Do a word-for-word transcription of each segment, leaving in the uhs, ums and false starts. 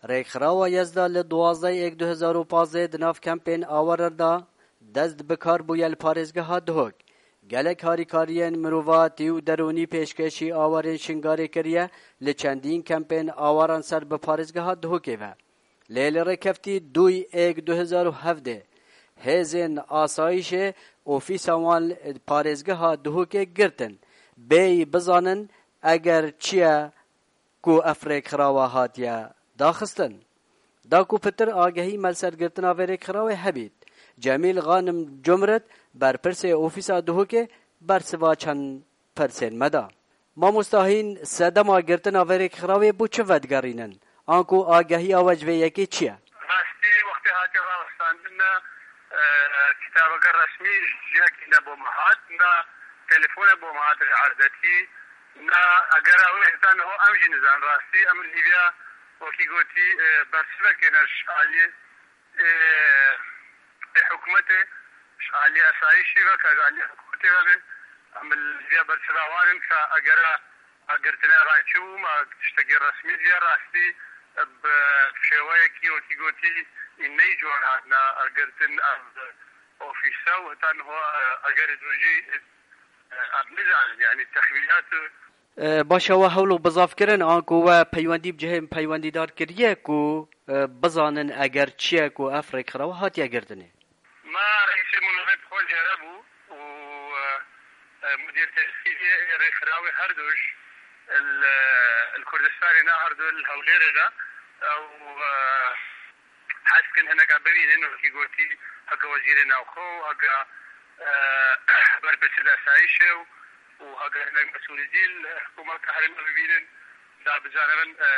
Rêkxirawa Yezda li duwazdeh êk du hezar û pazdeh di nav kempên awaran de dest bi kar bûye li parêzgeha Duhok. Gelek harîkariyên mirovatî û derûnî pêşkêşî awarên Şingalê kiriye li çendîn kempên awaran ser bi parêzgeha Duhokê ve. Lê li rêkeftî duyê êk du hezar û hevdeh hêzên asayîşê ofîsa wan li parêzgeha Duhokê girtin. Bêyî bizanin eger çi ye ku ev rêkxirawa hatiye daxistin. Da ku pitir agehî me li ser girtina vê rêkxirawê hebît, Cemîl Xanim Cumrit, berpirsê ofîsa Duhokê, bersiva çend pirsên me da. Mamosta Hîn, sedema girtina vê rêkxirawê bo çi vedigerînin? Anku agehiya we ji vê yekê çi ye? Rastî wextê hatiye rawestandin ne, e, kitabeke resmî ji cihekî ne bo me hat, ne telefone bo me hat erdekî, ne egera wê heta niho em jî nizan rastî. Em li Lîbya wekî gotî, e, bersivekê ne ji aliyê, e, e, hikûmetê, ji aliyê esayîşî ve, ka ji aliyê hikûmetê ve be. Em li Lîbya bersiva wan in ka egera girtina van çi bû, ma tiştekî resmî diye rastî bi şêweyekî wekî gotî ney cor hatine girtin ev ofîse û heta niho egerê din jî em nizanin, yanî texmînat û E, baş e, we hewl û bizav kirin, anku we peywendî bi cihên peywendîdar kiriye ku, e, bizanin eger çi ye ku ev rêkxirawa hatiye girtinê. Ma reîsê munazet xwe jere bû û, e, e, mudîr tesîlê rêxirawê her duş li, li Kurdistanê ne, her du li Hewlêrê ne. Ew, e, hez dikin hineka bibînin, wekî gotî, heke wezîrê navxwe û heke, e, berpirsê de esayîşê û, û heke hinek mesûlî dî li hikûmeta herêmê bibînin, da bizanibin, e,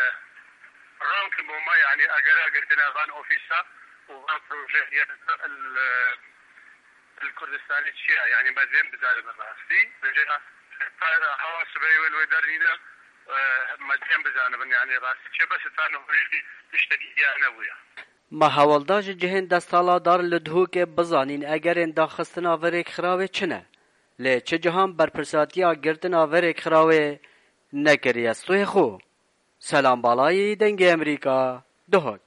ronkin bo me, yanî egera girtina van ofîsa û van projeyê li, li Kurdistanê çi ye? Yanî me dên bizanibin rastî. Vêca hewa sibehê wê li wê dernîne, e, me dên bizanibin, yanî rastî çi ye, bes heta niho jî tiştekî diya nebûye. Me hewl da ji cihên desthilatdar li Duhokê bizanîn egerên daxistina vê rêkxirawê çi ne. Lê çi cihan berpirsatiya girtina vê rêkxirawê nekiriye. Stûyê xwe. Selam Balayî, Dengê Emerîka, Duhok.